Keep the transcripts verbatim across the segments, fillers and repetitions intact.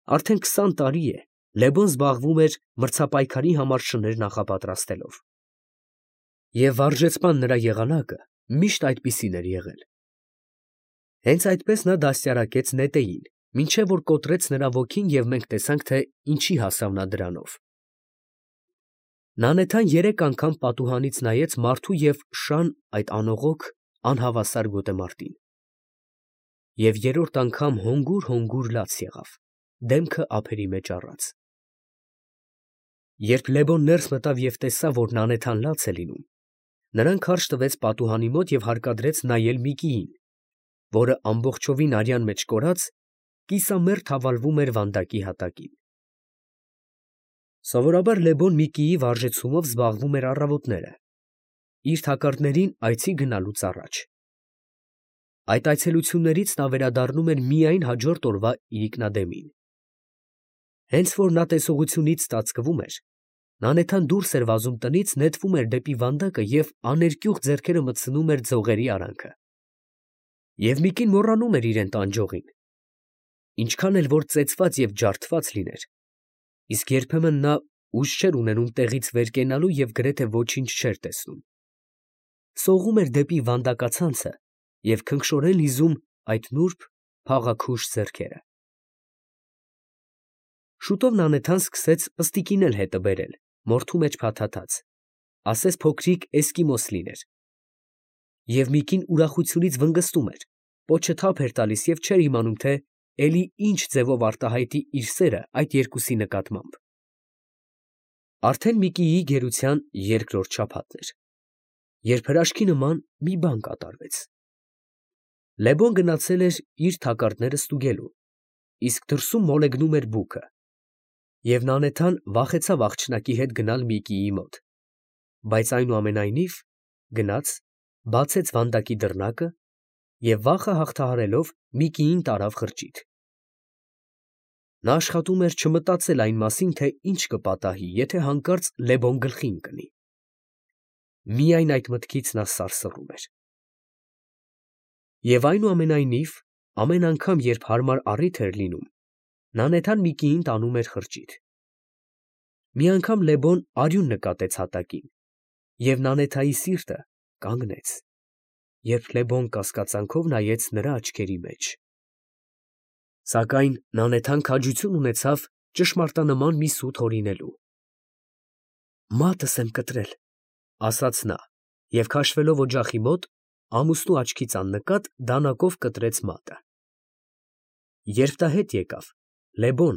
Արդեն քսան տարի է Լևոն զբաղվում էր մրցապայքարի համար շներ նախապատրաստելով։ Եվ վարժեցման նրա եղանակը միշտ այդպիսին էր եղել։ Հենց այդպես նա դաստիարակեց նետեին, մինչև որ կոտրեց նրա ոգին, և մենք տեսանք, թե ինչի հասավ նա դրանով։ Նանեթան երեք անգամ պատուհանից նայեց մարդու և շան այդ անողոք, անհավասար գոտեմարտին, և երրորդ անգամ հոնգուր֊հոնգուր լաց եղավ, դեմքը ափերի մեջ առած։ Երբ Լևոն ներս մտավ և տեսավ, որ Նանեթան լաց է լինում, նրան քարշ տվեց պատուհանի մոտ և հարկադրեց նայել Միկիին, որը ամբողջովին արյան մեջ կորած, կիսամերկ հավալվում էր վանդակի հատակին։ Սովորաբար Լևոն Միկիի վարժեցումով զբաղվում էր առավոտները, իր թակարդներին այցի գնալուց առաջ։ Այդ այցելություններից նա վերադառնում էր միայն հաջորդ օրվա իրիկնադեմին։ Հենց որ նա տեսողությունից ծածկվում էր, Նանեթան դուրս էր վազում տնից, նետվում էր դեպի վանդակը և աներկյուղ ձեռքերը մտցնում էր ձողերի արանքը։ Եվ Միկին մոռանում էր իրան տանջողին, ինչքան էլ որ ծեծված և ջարդված լիներ, իսկ երբեմն նա ուժ չէր ունենում տեղից վեր կենալու և գրեթե ոչինչ չէր տեսնում։ Սողում էր դեպի վանդակացանցը և քնքշորեն լիզում այդ նուրբ, փաղաքուշ ձեռքերը։ Շուտով Նանեթան սկսեց պստիկին էլ հետը բերել, մորթու մեջ փաթաթած, ասես փոքրիկ էսկիմոս լիներ։ Եվ Միկին ուրախությունից վնգստում էր, պոչը թափ էր տալիս և չէր իմանում, թե էլի ինչ ձևով արտահայտի իր սերը այդ երկուսի նկատմամբ։ Արդեն Միկիի գերության երկրորդ շաբաթն էր, երբ հրաշքի նման մի բան կատարվեց։ Լևոն գնացել էր իր թակարդները ստուգելու, իսկ դրսում մոլեգնում էր բուքը, և Նանեթան վախեցավ աղջնակի հետ գնալ Միկիի մոտ, բայց այնուամենայնիվ գնաց, բացեց վանդակի դռնակը և վախը հաղթահարելով Միկիին տարավ խրճիթ։ Նա աշխատում էր չմտածել այն մասին, թե ինչ կպատահի, եթե հանկարծ Լևոն գլխի ընկնի։ Միայն այդ մտքից նա սարսռում էր։ Եվ այնուամենայնիվ, ամեն անգամ, երբ հարմար առիթ էր լինում, Նանեթան Միկիին տանում էր խրճիթ։ Մի անգամ Լևոն արյուն նկատեց հատակին, և Նանեթայի սիրտը կանգնեց, երբ Լևոն կասկածանքով նայեց նրա աչքերի մեջ։ Սակայն Նանեթան քաջություն ունեցավ ճշմարտանման մի սուտ հորինելու։ «Մատս եմ կտրել», ֊ ասաց նա և քաշվելով օջախի մոտ, ամուսնու աչքից աննկատ դանակով կտրեց մատը։ Երբ դա հետ եկավ, Լևոն,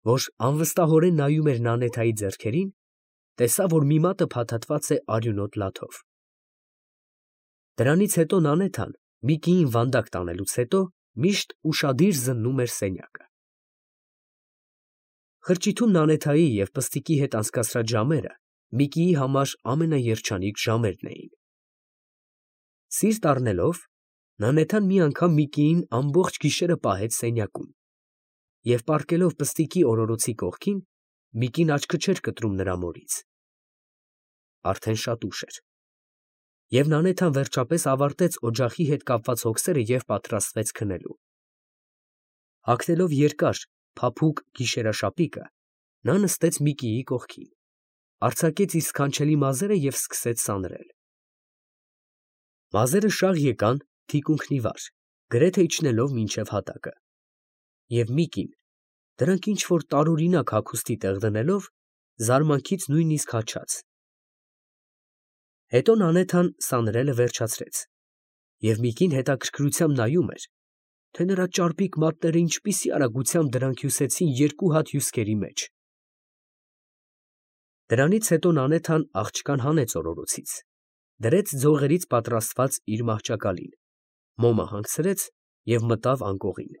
որ անվստահորեն նայում էր Նանեթայի ձեռքերին, տեսավ, որ մի մատը փաթաթված է արյունոտ լաթով։ Դրանից հետո Նանեթան, Միկիին վանդակ տանելուց հետո, միշտ ուշադիր զննում էր սենյակը։ Խրճիթում Նանեթայի և պստիկի հետ անցկացրած ժամերը Միկիի համար ամենաերջանիկ ժամերն էին։ Սիրտ առնելով, Նանեթան մի անգամ Միկիին ամբողջ գիշերը պահեց սենյակում, և պառկելով պստիկի օրորոցի կողքին, Միկին աչքը չէր կտրում նրա մորից։ Արդեն շատ ուշ էր, և Նանեթան վերջապես ավարտեց օջախի հետ կապված հոգսերը և պատրաստվեց քնելու։ Հագնելով երկար, փափուկ գիշերաշապիկը, նա նստեց Միկիի կողքին, արձակեց իր սքանչելի մազերը և սկսեց սանրել։ Մազերը շաղ եկան թիկունքն ի վար, գրեթե իջնելով մինչև հատակը, և Միկին, դրանք ինչ֊որ տարօրինակ հագուստի տեղ դնելով, զարմանքից նույնիսկ հաչաց։ Հետո Նանեթան սանրելը վերջացրեց, և Միկին հետաքրքրությամբ նայում էր, թե նրա ճարպիկ մատները ինչպիսի արագությամբ դրանք հյուսեցին երկու հատ հյուսկերի մեջ։ Դրանից հետո Նանեթան աղջկան հանեց օրորոցից, դրեց ձողերից պատրաստված իր մահճակալին, մոմը հանգցրեց և մտավ անկողին,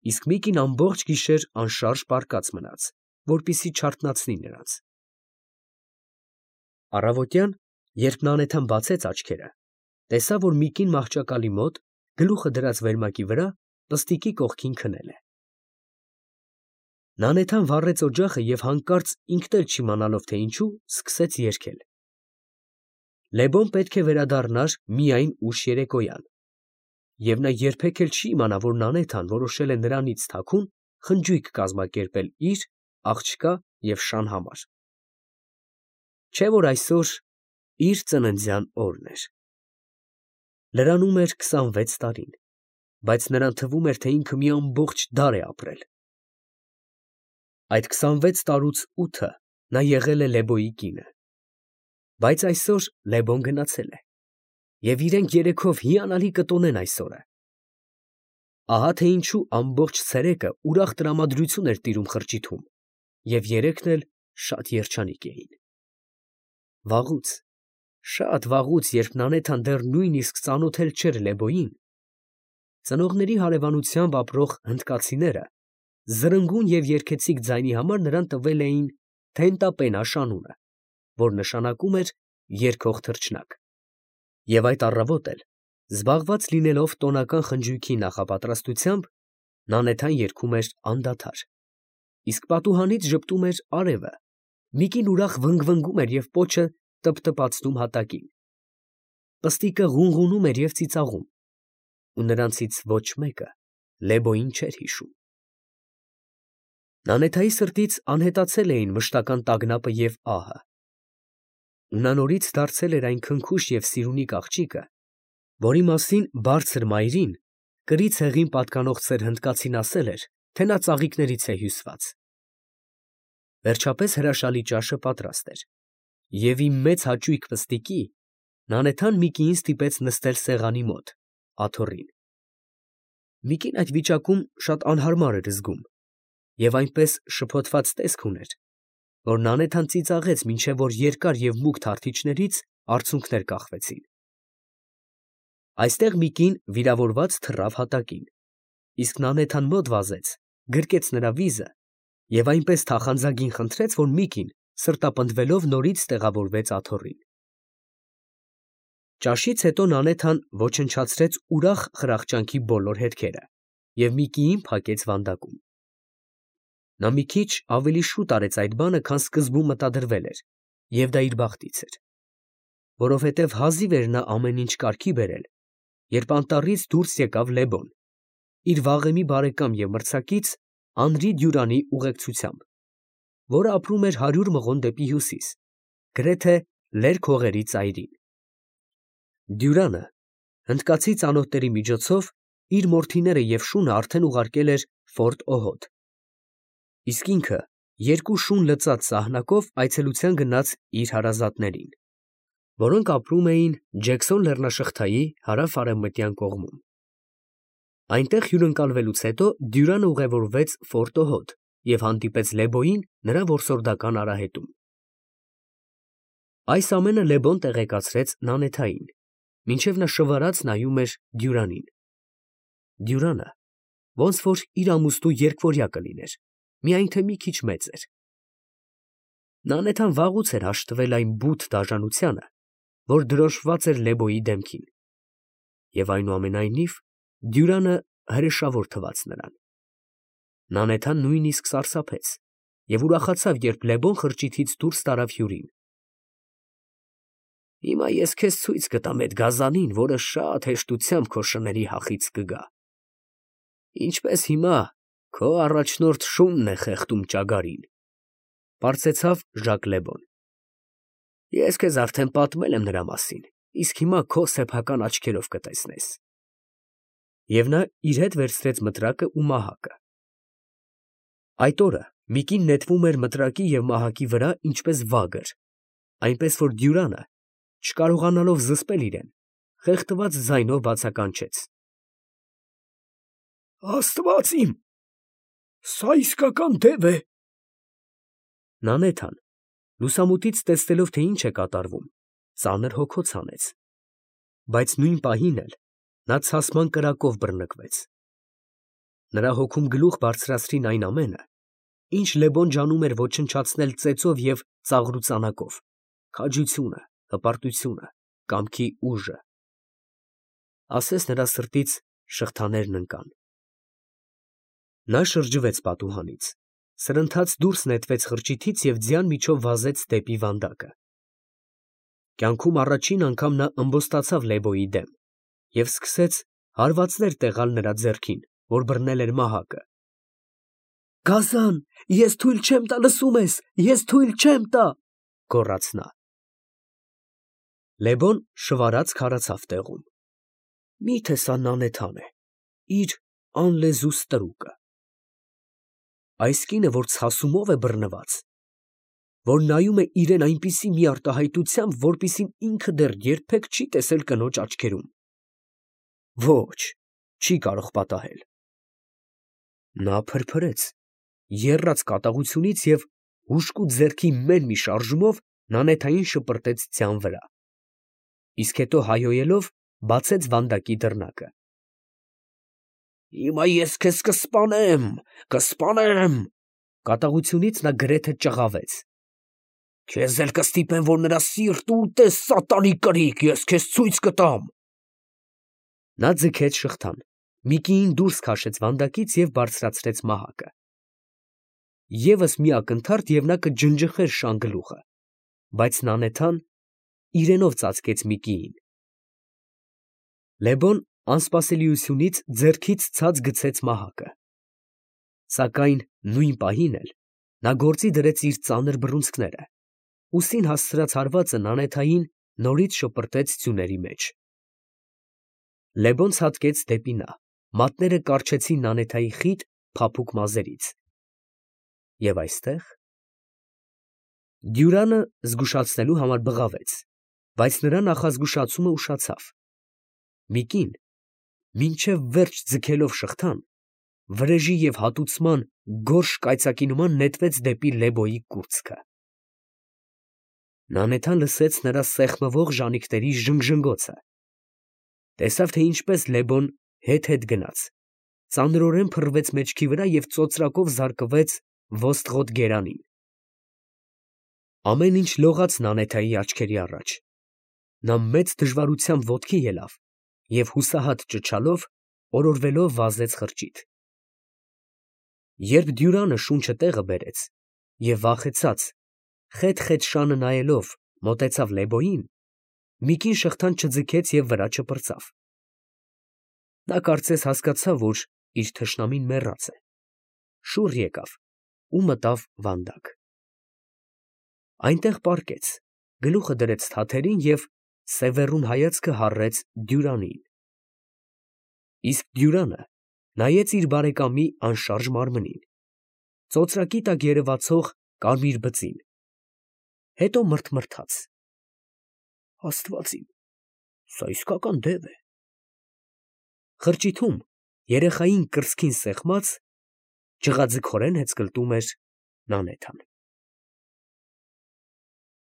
իսկ Միկին ամբողջ գիշեր անշարժ պառկած մնաց, որպեսզի չարթնացնի նրանց։ Առավոտյան, երբ Նանեթան բացեց աչքերը, տեսավ, որ Միկին մահճակալի մոտ, գլուխը դրած վերմակի վրա, պստիկի կողքին քնել է։ Նանեթան վառեց օջախը և հանկարծ ինքն էլ չիմանալով, թե ինչու, սկսեց երգել։ Լևոն պետք է վերադառնար միայն ուշ երեկոյան, և նա երբեք էլ չի իմանա, որ Նանեթան որոշել է նրանից թաքուն խնջույք կազմակերպել իր, աղջկա և շան համար։ Չէ՞ որ այսօր իր ծննդյան օրն էր։ Լրանում էր քսանվեց տարին, բայց նրան թվում էր, թե ինքը մի ամբողջ դար է ապրել։ Այդ քսանվեց տարուց ութը նա եղել է Լեբոյի կինը, բայց այսօր Լեբոն գնացել է, և իրենք երեքով հիանալի կտոնեն այս օրը։ Ահա թե ինչու ամբողջ ցերեկը ուրախ տրամադրություն էր տիրում խրճիթում, և երեքն էլ շատ երջանիկ էին։ Վաղուց, շատ վաղուց, երբ Նանեթան դեռ նույնիսկ ծանոթել չէր Լեբոյին, ծնողների հարևանությամբ ապրող հնդկացիները զրնգուն և երգեցիկ ձայնի համար նրան տվել էին Թենտապենաշ անունը, որ նշանակում էր երգող թռչնակ, և այդ առավոտ էլ, զբաղված լինելով տոնական խնջույքի նախապատրաստությամբ, Նանեթան երգում էր անդադար, իսկ պատուհանից ժպտում էր արևը, մի կին ուրախ վնգվնգում էր և պոչը տպտպացնում հատակին, պստիկը ղունղունում էր և ծիծաղում, ու նրանցից ոչ մեկը Լեբոյին չէր հիշում։ Նանեթայի սրտից անհետացել էին մշտական տագնապը և ահը, ու նա նորից դարձել էր այն քնքուշ և սիրունիկ աղջիկը, որի մասին բարձր մայրին, կրի ցեղին պատկանող ծեր հնդկացին ասել էր, թե նա ծաղիկներից է հյուսված։ Վերջապես հրաշալի ճաշը պատրաստ էր, և ի մեծ հաճույք պստիկի, Նանեթան Միկիին ստիպեց նստել սեղանի մոտ, աթոռին։ Միկին այդ վիճակում շատ անհարմար էր զգում և այնպես շփոթված տեսք ուներ, որ Նանեթան ծիծաղեց, մինչև որ երկար և մուգ թարթիչներից արցունքներ կախվեցին։ Այստեղ Միկին վիրավորված թռավ հատակին, իսկ Նանեթան մոտ վազեց, գրկեց նրա վիզը և այնպես թախանձագին խնդրեց, որ Միկին սրտապնդվելով նորից տեղավորվեց աթոռին։ Ճաշից հետո Նանեթան ոչնչացրեց ուրախ խրախճանքի բոլոր հետքերը և Միկիին փակեց վանդակում։ Նա մի քիչ ավելի շուտ արեց այդ բանը, քան սկզբում մտադրվել էր, և դա իր բախտից էր, որովհետև հազիվ էր նա ամեն ինչ կարգի բերել, երբ անտառից դուրս եկավ Լեբոն, իր վաղեմի բարեկամ և մրցակից Անրի Դյուրանի ուղեկցությամբ, որը ապրում էր հարյուր մղոն դեպի հյուսիս, գրեթե լերկ հողերի ծայրին։ Դյուրանը հնդկացի ծանոթների միջոցով իր մորթիները և շունը արդեն ուղարկել էր Ֆորտ Օհոդ, իսկ ինքը երկու շուն լծած սահնակով այցելության գնաց իր հարազատներին, որոնք ապրում էին Ջեքսոն լեռնաշղթայի հարավ֊արևմտյան կողմում։ Այնտեղ հյուրընկալվելուց հետո Դյուրանը ուղևորվեց Ֆորտ Օհոդ և հանդիպեց Լեբոյին նրա որսորդական արահետում։ Այս ամենը Լեբոն տեղեկացրեց Նանեթային, մինչև նա շվարած նայում էր Դյուրանին։ Դյուրանը ոնց որ իր ամուսնու երկվորյա կլիներ, միայն թե մի քիչ մեծ էր։ Նանեթան վաղուց էր հաշտվել այն բութ դաժանությանը, որ դրոշմված էր Լեբոյի դեմքին, և այնուամենայնիվ Դյուրանը հրեշավոր թվաց նրան։ Նանեթան նույնիսկ սարսափեց և ուրախացավ, երբ Լեբոն խրճիթից դուրս տարավ հյուրին։ Հիմա ես քեզ ցույց կտամ էդ գազանին, որը շատ հեշտությամբ քո շների հախից կգա, ինչպես հիմա քո առաջնորդ շունն է խեղդում ճագարին, ֊ պարծեցավ Ժակ Լեբոն։ Ես քեզ արդեն պատմել եմ նրա մասին, իսկ հիմա քո սեփական աչքերով կտեսնես։ Եվ նա իր հետ վերցրեց մտրակը ու մահակը։ Այդ օրը Միկին նետվում էր մտրակի և մահակի վրա ինչպես վագր, այնպես որ Դյուրանը, չկարողանալով զսպել իրեն, խեղդված ձայնով բացականչեց. Աստված իմ, սա իսկական դև է։ Նանեթան, լուսամուտից տեսնելով, թե ինչ է կատարվում, ծանր հոգոց հանեց, բայց նույն պահին էլ նա ցասման կրակով բռնկվեց։ Նրա հոգում գլուխ բարձրացրին այն ամենը, ինչ Լեբոն ջանում էր ոչնչացնել ծեծով և ծաղրուծանակով, քաջությունը, հպարտությունը, կամքի ուժը։ Ասես նրա սրտից շղթաներն ընկան։ Նա շրջվեց պատուհանից, սրընթաց դուրս նետվեց խրճիթից և ձյան միջով վազեց դեպի վանդակը։ Կյանքում առաջին անգամ նա ըմբոստացավ Լեբոյի դեմ և սկսեց հարվածներ տեղալ նրա ձեռքին, որ բռնել էր մահակը։ Գազան, ես թույլ չեմ տա, լսում ես, ես թույլ չեմ տա, գոռաց նա։ Լևոն շվարած քարացավ տեղում։ Միթե սա Նանեթան է, իր անլեզու ստրուկը։ Այս կինը, որ ցասումով է բռնված, որ նայում է իրեն այնպիսի մի արտահայտությամբ, որպիսին ինքը դեռ երբեք չի տեսել կնոջ աչքերում, ոչ, չի կարող պատահել։ Նա փրփրեց, եռաց կատաղությունից և հուժկու ձեռքի մեն մի շարժումով Նանեթային շպրտեց ձյան վրա, իսկ հետո հայհոյելով բացեց վանդակի դռնակը։ Հիմա ես քեզ կսպանեմ, կսպանեմ, կատաղությունից նա գրեթե ճղավեց։ Քեզ էլ կստիպեմ, որ նրա սիրտը ուտես, սատանի կրիկ, ես քեզ ցույց կտամ։ Նա ձգեց շղթան, մի կին դուրս քաշեց վանդակից և բարձրացրեց մահակը։ Եվս մի ակնթարթ, և նա կջնջխեր շան գլուխը, բայց Նանեթան իրենով ծածկեց Միկիին։ Լևոն անսպասելիությունից ձեռքից ցած գցեց մահակը, սակայն նույն պահին էլ նա գործի դրեց իր ծանր բռունցքները, ուսին հասցրած հարվածը Նանեթային նորից շպրտեց ձյուների մեջ։ Լևոն ցատկեց դեպի նա, մատները կառչեցին Նանեթայի խիտ, փափուկ մազերից։ Եվ այստեղ… Դյուրանը զգուշացնելու համար բղավեց, բայց նրա նախազգուշացումը ուշացավ։ Միկին, մինչև վերջ ձգելով շղթան, վրեժի և հատուցման գորշ կայծակի նման նետվեց դեպի Լեբոյի կուրծքը։ Նանեթան լսեց նրա սեղմվող ժանիքների ժնգժնգոցը, տեսավ, թե ինչպես Լեբոն հետ֊հետ գնաց, ծանրորեն փռվեց մեջքի վրա և ծոծրակով զարկվեց ոստղոտ գերանին։ Ամեն ինչ լողաց Նանեթայի աչքերի առաջ, նա մեծ դժվարությամբ ոտքի ելավ և հուսահատ ճչալով, օրորվելով վազեց խրճիթ։ Երբ Դյուրանը շունչը տեղը բերեց և վախեցած, խետ֊խետ շանը նայելով, մոտեցավ Լեբոյին, Միկին շղթան չձգեց և վրա չպրծավ։ Նա կարծես հասկացավ, որ իր թշնամին մեռած է, շուռ եկավ ու մտավ վանդակ։ Այնտեղ պառկեց, գլուխը դրեց թաթերին և սևեռուն հայացքը հառեց Դյուրանին։ Իսկ Դյուրանը նայեց իր բարեկամի անշարժ մարմնին, ծոծրակի տակ երևացող կարմիր բծին, հետո մռթմռթաց. Աստված իմ, սա իսկական դև է։ Խրճիթում երեխային կրծքին սեղմած, ջղաձգորեն հեծկլտում էր Նանեթան։